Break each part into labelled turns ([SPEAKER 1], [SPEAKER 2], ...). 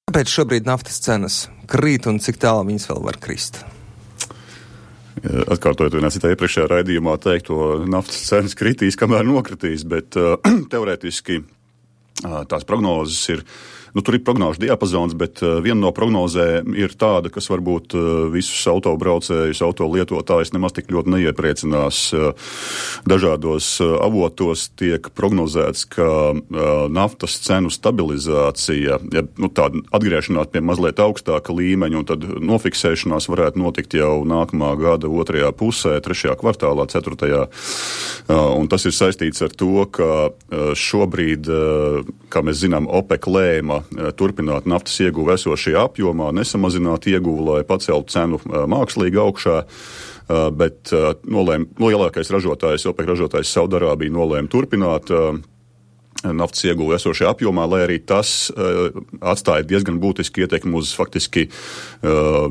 [SPEAKER 1] Kāpēc šobrīd naftas cenas krīt un cik tālu viņas vēl var krist?
[SPEAKER 2] Atkārtojot vienā citā iepriekšējā raidījumā teikto, naftas cenas kritīs, kamēr nokritīs, bet teorētiski tās prognozes ir, tur ir prognožu diapazons, bet viena no prognozēm ir tāda, kas varbūt visus autobraucējus, autolietotājus nemaz tik ļoti neiepriecinās. Dažādos avotos tiek prognozēts, ka naftas cenu stabilizācija, tāda atgriešanās pie mazliet augstāka līmeņa un tad nofiksēšanās varētu notikt jau nākamā gada 2. pusē, 3. kvartālā, 4. Un tas ir saistīts ar to, ka šobrīd, kā mēs zinām, OPEC lēma turpināt naftas ieguvu esošajā apjomā, nesamazināt ieguvu, lai paceltu cenu mākslīgi augšā, bet lielākais ražotājs, OPEC ražotājs Saudarābija nolēma turpināt naftas ieguvu esošajā apjomā, lai arī tas atstāja diezgan būtiski ietekmi uz faktiski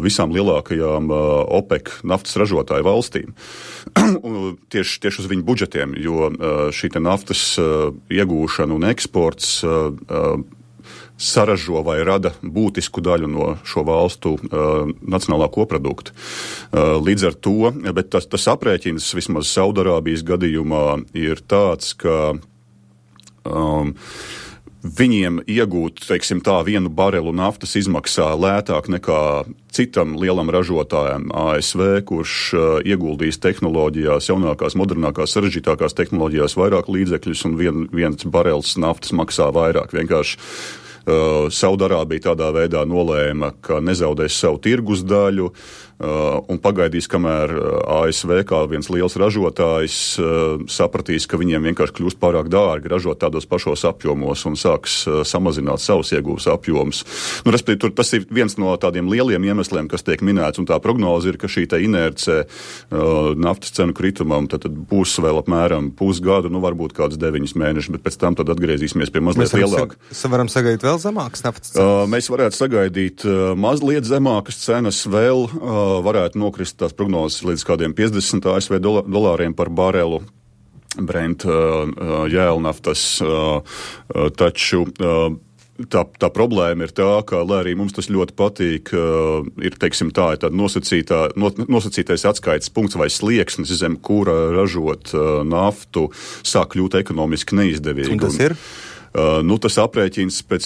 [SPEAKER 2] visām lielākajām OPEC naftas ražotāju valstīm. tieši uz viņu budžetiem, jo šī naftas iegūšana un eksports saražo vai rada būtisku daļu no šo valstu nacionālā koprodukta. Līdz ar to, bet tas aprēķins vismaz Saudarābijas gadījumā ir tāds, ka viņiem iegūt, teiksim tā, 1 barelu naftas izmaksā lētāk nekā citam lielam ražotājam ASV, kurš ieguldīs tehnoloģijās, jaunākās, modernākās, sarežģītākās tehnoloģijās vairāk līdzekļus un viens barels naftas maksā vairāk. Vienkārši Saudarābija tādā veidā nolēma, ka nezaudēs savu tirgus daļu un pagaidīs, kamēr ASV kā viens liels ražotājs sapratīs, ka viņiem vienkārši kļūst pārāk dārgi ražot tādos pašos apjomos un sāks samazināt savus ieguvus apjomus. Respektīvi, tas ir viens no tādiem lieliem iemesliem, kas tiek minēts, un tā prognoze ir, ka šī inerce naftas cenu kritumam tad būs vēl apmēram pusgadu, varbūt kāds 9 mēnešus, bet pēc tam tad atgriezīsimies pie mazliet lielāka.
[SPEAKER 1] Mēs varam sagaidīt vēl zemākas naftas cenas?
[SPEAKER 2] Mēs varētu sagaidīt mazliet zemākas cenas vēl, varētu nokrist tās prognozes līdz kādiem 50 ASV dolāriem par barelu Brent jēlnaftas, taču tā problēma ir tā, ka, lai arī mums tas ļoti patīk, ir, teiksim tā, ir tāda nosacītais atskaites punkts vai slieksnis, zem kura ražot naftu sāk kļūt ekonomiski neizdevīgi.
[SPEAKER 1] Un tas ir?
[SPEAKER 2] Tas aprēķins pēc,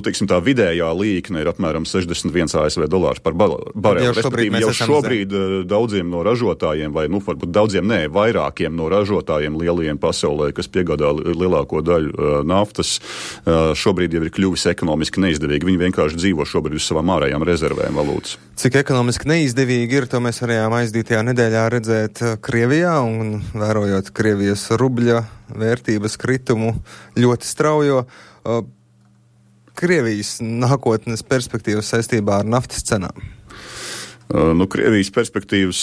[SPEAKER 2] teiksim tā, vidējā līkne ir apmēram 61 ASV dolārs par barelu. Respektīvi, jau šobrīd daudziem no ražotājiem, vai, varbūt daudziem vairākiem no ražotājiem lielajiem pasaulē, kas piegādā lielāko daļu naftas, šobrīd jau ir kļuvis ekonomiski neizdevīgi. Viņi vienkārši dzīvo šobrīd uz savām ārējām rezervēm valūtas.
[SPEAKER 1] Cik ekonomiski neizdevīgi ir, to mēs varējām aizdītajā nedēļā redzēt Krievijā un vērojot Krievijas rubļa vērtības kritumu ļoti straujo. Krievijas nākotnes perspektīvas saistībā ar naftas cenām.
[SPEAKER 2] Krievijas perspektīvas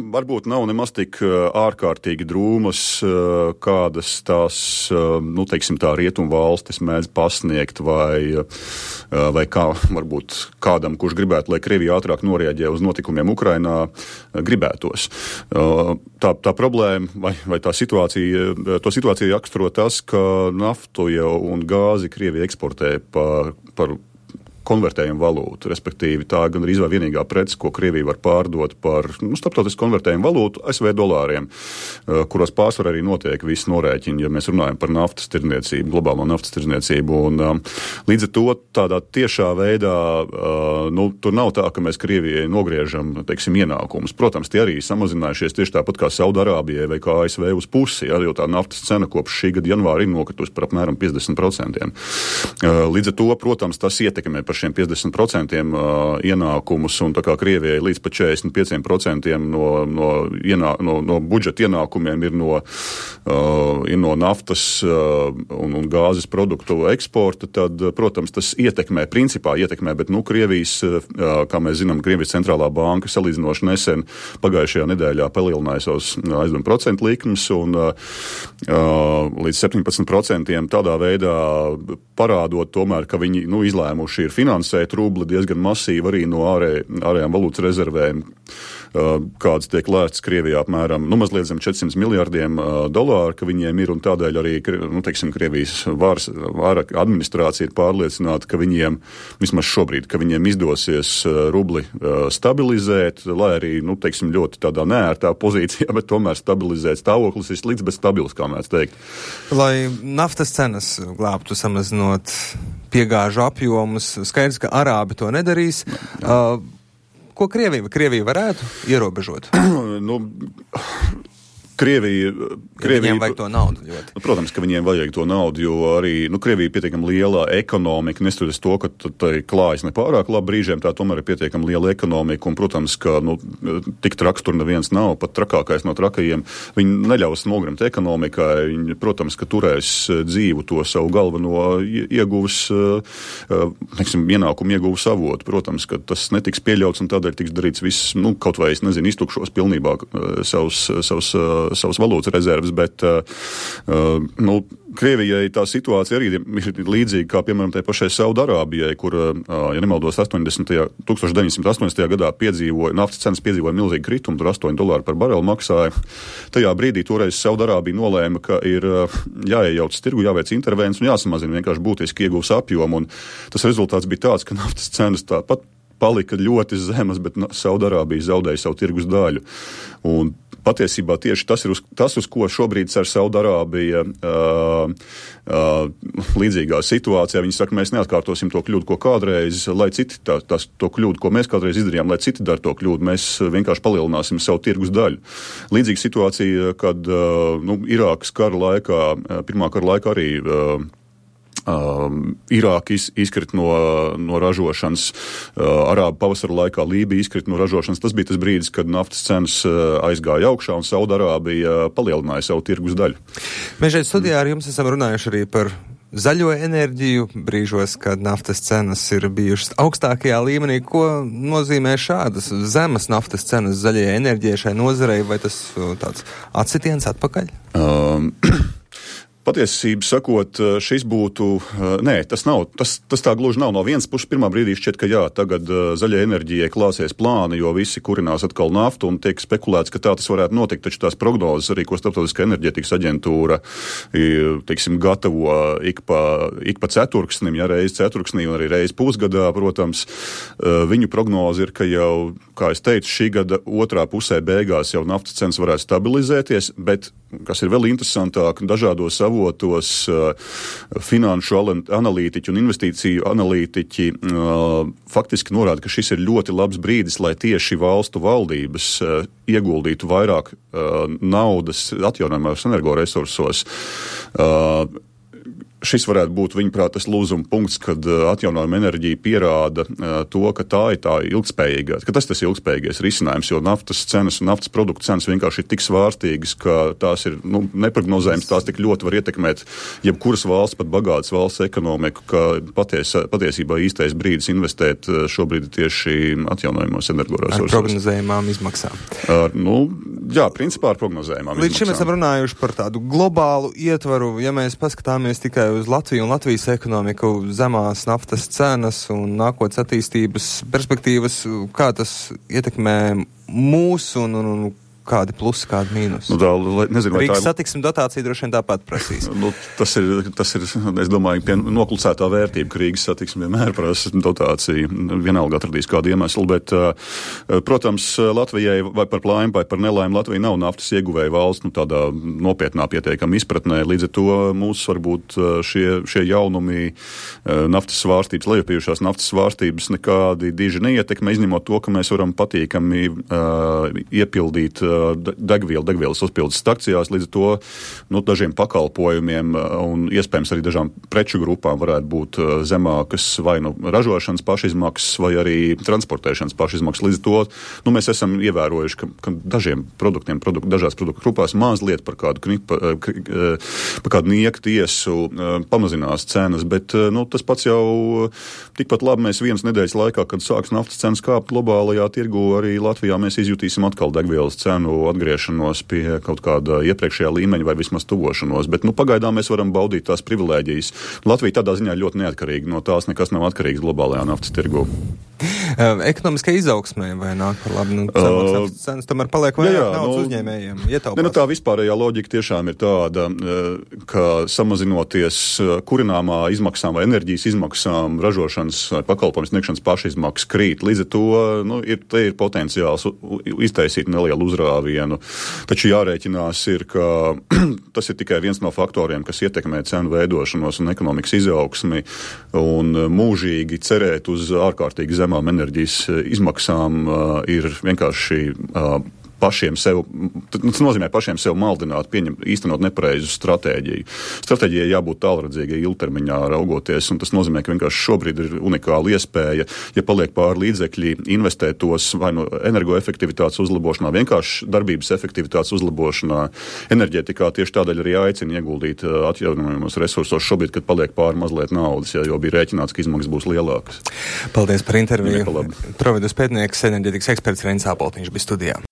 [SPEAKER 2] varbūt nav nemaz tik ārkārtīgi drūmas, kādas tās, teiksim tā, rietumu valstis mēdz pasniegt, vai kā varbūt kādam, kurš gribētu, lai Krievija ātrāk norēģē uz notikumiem Ukrainā, gribētos. Tā problēma vai tā situācija raksturo tas, ka naftu un gāzi Krievija eksportē par konvertējumu valūtu, respektīvi tā gan arī vienīgā prece, ko Krievija var pārdot par starptautisku konvertējumu valūtu ASV dolāriem, kuros pārsvarā arī notiek visi norēķini, ja mēs runājam par naftas tirdzniecību, globālo naftas tirdzniecību. Un līdz ar to tādā tiešā veidā, tur nav tā, ka mēs Krievijai nogriežam, teiksim, ienākumus. Protams, tie arī samazinājušies tieši tāpat kā Saudārābijai vai kā ASV uz pusi, jo tā naftas cena kopš šī gada janvāra ir nokritusi par apmēram 50%. Līdz ar to, protams, tas ietekmē par šiem 50% ienākumus, un tā kā Krievijai līdz pat 45% no budžeta ienākumiem ir no naftas un gāzes produktu eksporta, tad, protams, tas principā ietekmē, bet, Krievijas, kā mēs zinām, Krievijas centrālā banka salīdzinoši nesen pagājušajā nedēļā palielināja savus aizdevumu procentu likmes, un līdz 17% tādā veidā parādot tomēr, ka viņi, izlēmuši ir finansēt rubli diezgan masīvi arī no ārējām valūtas rezervēm, kādas tiek lēstas Krievijā apmēram, mazliet zem $400 miljardiem, ka viņiem ir, un tādēļ arī, Krievijas vara administrācija ir pārliecināta, ka viņiem, vismaz šobrīd, ka viņiem izdosies rubli stabilizēt, lai arī, ļoti tādā neērtā pozīcijā, bet tomēr stabilizēt. Stāvoklis ir slikts, bet stabils, kā mēs teikt.
[SPEAKER 1] Lai naftas cenas glābtu samazinot piegāžu apjomus, skaidrs, ka arābi to nedarīs. Ko Krievija varētu ierobežot? Viņiem vajag to naudu ļoti.
[SPEAKER 2] Protams, ka viņiem vajag to naudu, jo arī Krievija ir pietiekami liela ekonomika, neskatoties to, ka tai klājas nepārāk labi brīžiem, tā tomēr ir pietiekami liela ekonomika, un, protams, ka tik traks tur neviens nav, pat trakākais no trakajiem. Viņi neļaus nogrimt ekonomikai, viņi, protams, ka turēs dzīvu to savu galveno ieguvus, ienākumu ieguvu avotu. Protams, ka tas netiks pieļauts, un tādēļ tiks darīts viss, kaut vai, iztukšos pilnībā savas valūtas rezerves, bet Krievijai tā situācija arī ir līdzīga kā, piemēram, tai pašai Saudarābijai, kur, ja nemaldos, 1980. gadā naftas cenas piedzīvoja milzīgi kritumu, tur $8 par barelu maksāja. Tajā brīdī toreiz Saudarābija nolēma, ka ir jāiejauc tirgu, jāveic intervences un jāsamazina vienkārši būtiski ieguvs apjomu, un tas rezultāts bija tāds, ka naftas cenas tāpat palika ļoti zemas, bet Saudarābija zaudēja savu tirgus daļu. Un patiesībā tieši tas, uz ko šobrīd cer Saudarābija līdzīgā situācijā. Viņi saka, mēs neatkārtosim to kļūdu, ko kādreiz, lai citi to kļūdu, ko mēs kādreiz izdarījām, lai citi dara to kļūdu, mēs vienkārši palielināsim savu tirgus daļu. Līdzīga situācija, kad Irākas kara laikā, pirmā kara laikā arī Irāka izkrita no ražošanas, Arābu pavasara laikā Lībija izkrita no ražošanas. Tas bija tas brīdis, kad naftas cenas aizgāja augšā un Saudarābija palielināja savu tirgus daļu.
[SPEAKER 1] Mēs šeit studijā ar jums esam runājuši arī par zaļo enerģiju brīžos, kad naftas cenas ir bijušas augstākajā līmenī. Ko nozīmē šādas zemes naftas cenas zaļajai enerģijai šai nozarei, vai tas tāds atsitiens atpakaļ?
[SPEAKER 2] Patiesību sakot, šis būtu, tas nav, tas tā gluži nav. No vienas puses pirmā brīdī šķiet, ka jā, tagad zaļai enerģijai klāsies plāni, jo visi kurinās atkal naftu un tiek spekulēts, ka tā tas varētu notikt, taču tās prognozes arī, ko Starptautiskā enerģētikas aģentūra, gatavo ik pa ceturksnim, reizi ceturksnī un arī reizi pusgadā, protams, viņu prognoze ir, ka jau, kā es teicu, šī gada otrā pusē beigās jau naftas cenas varētu stabilizēties, bet, kas ir vēl interesantāk, dažādos avotos finanšu analītiķi un investīciju analītiķi faktiski norāda, ka šis ir ļoti labs brīdis, lai tieši valstu valdības ieguldītu vairāk naudas atjaunojamajos energoresursos. Šis varētu būt, viņuprāt, tas lūzuma punkts, kad atjaunojama enerģija pierāda to, ka tā ir tā ilgspējīgā, ka tas ir ilgspējīgais risinājums, jo naftas cenas un naftas produktu cenas vienkārši ir tik svārstīgas, ka tās ir neprognozējums, tās tik ļoti var ietekmēt jebkuras valsts, pat bagātas valsts ekonomiku, ka patiesībā īstais brīdis investēt šobrīd tieši atjaunojamos energoresursos.
[SPEAKER 1] Ar prognozējumām izmaksām.
[SPEAKER 2] Jā, principā ar prognozējumām izmaksām.
[SPEAKER 1] Līdz šim esam runājuši par tādu globālu ietvaru, ja mēs paskatāmies tikai uz Latviju un Latvijas ekonomiku, zemās naftas cenas un nākotnes attīstības perspektīvas, kā tas ietekmē mūs un kādi plusi, kādi mīnusi? Rīgas satiksmes dotācija droši vien tāpat prasīs.
[SPEAKER 2] Tas ir, es domāju, noklusētā vērtība, ka Rīgas satiksme vienmēr prasa dotāciju. Vienalga atradīs kādu iemeslu, bet, protams, Latvijai vai par laimi vai par nelaimi Latvija nav naftas ieguvēja valsts, tādā nopietnā pietiekama izpratnē. Līdz ar to mūs varbūt šie jaunumi naftas svārstības, lejupējušās naftas svārstības nekādi diži neietekmē, izņemot to, ka mēs varam patīkami iepildīt degvielas uzpildes stacijās, līdz ar to dažiem pakalpojumiem un iespējams arī dažām preču grupām varētu būt zemākas vai ražošanas pašizmaksas vai arī transportēšanas pašizmaksas. Līdz ar to mēs esam ievērojuši, ka dažiem produktiem, dažās produktu grupās mazliet par kādu nieku tiesu pamazinās cenas, bet tas pats jau tikpat labi mēs vienas nedēļas laikā, kad sāks naftas cenas kāpt globālajā tirgu, arī Latvijā mēs izjutīsim atkal degvielas cenu atgriešanos pie kaut kāda iepriekšējā līmeņa vai vismaz tuvošanos, bet pagaidām mēs varam baudīt tās privilēģijas. Latvija tādā ziņā ļoti neatkarīga, no tās nekas nav atkarīgs globālajā naftas tirgu.
[SPEAKER 1] Ekonomiskai izaugsmē vai nāk par labu? Zemāks naftas cenas tomēr paliek vairāk naudas uzņēmējiem, ietaupās.
[SPEAKER 2] Tā vispārējā loģika tiešām ir tāda, ka samazinoties kurināmā izmaksām vai enerģijas izmaksām, ražošanas vai pakalpojumu sniegšanas pašizmaksas krīt. Līdz ar to te ir potenciāls iztaisīt nelielu uzrāvienu. Taču jārēķinās ir, ka tas ir tikai viens no faktoriem, kas ietekmē cenu veidošanos un ekonomikas izaugsmi, un mūžīgi cerēt uz ārkārtīgi zemām enerģijas izmaksām ir vienkārši pašiem sev, tas nozīmē pašiem sev maldināt, īstenot nepareizu stratēģiju. Stratēģijai jābūt tālredzīgai ilgtermiņā raugoties, un tas nozīmē, ka vienkārši šobrīd ir unikāla iespēja, ja paliek pāri līdzekļi, investēt tos vai no energoefektivitātes uzlabošanā, vienkārši darbības efektivitātes uzlabošanā, enerģētikā tieši tādēļ arī aicina ieguldīt atjaunojamos resursos šobrīd, kad paliek pāri mazliet naudas, jo bija rēķināts, ka izmaksas būs lielākas.
[SPEAKER 1] Paldies par interviju. Providus pētnieks, enerģētikas eksperts Reinis Āboltiņš bija studijā.